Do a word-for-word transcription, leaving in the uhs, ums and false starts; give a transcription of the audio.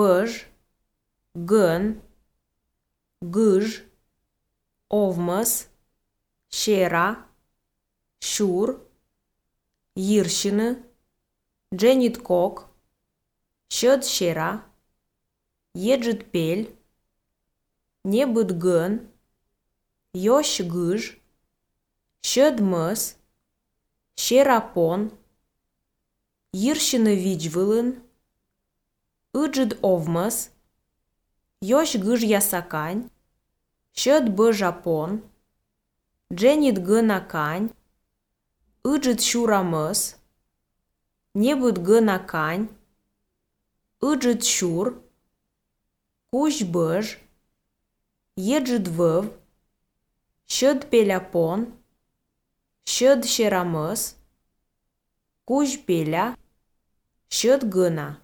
Bëzh, Gën, Gëzh, Ovmës, Shera, Shur, Jërshinë, Xhenit Kokë, Shëd Shera, Jexhët Pel, Njebët Gën, Josh Gëzh, Shëd Mës, Shera Pon, Jërshinë Viçvëllën, Ëxhët Ovmës, Josh Gëzh Jasakань, Shëd Bëzha Pon, Xhenit Gëna Kanj, Ëxhët Shura Mës, Njebët Gëna Kanj, Ëxhët Shur, Kush Bëzh, Jexhët Vëv, Shëd Pela Pon, Shëd Shera Mës, Kush Pela, Shëd Gëna.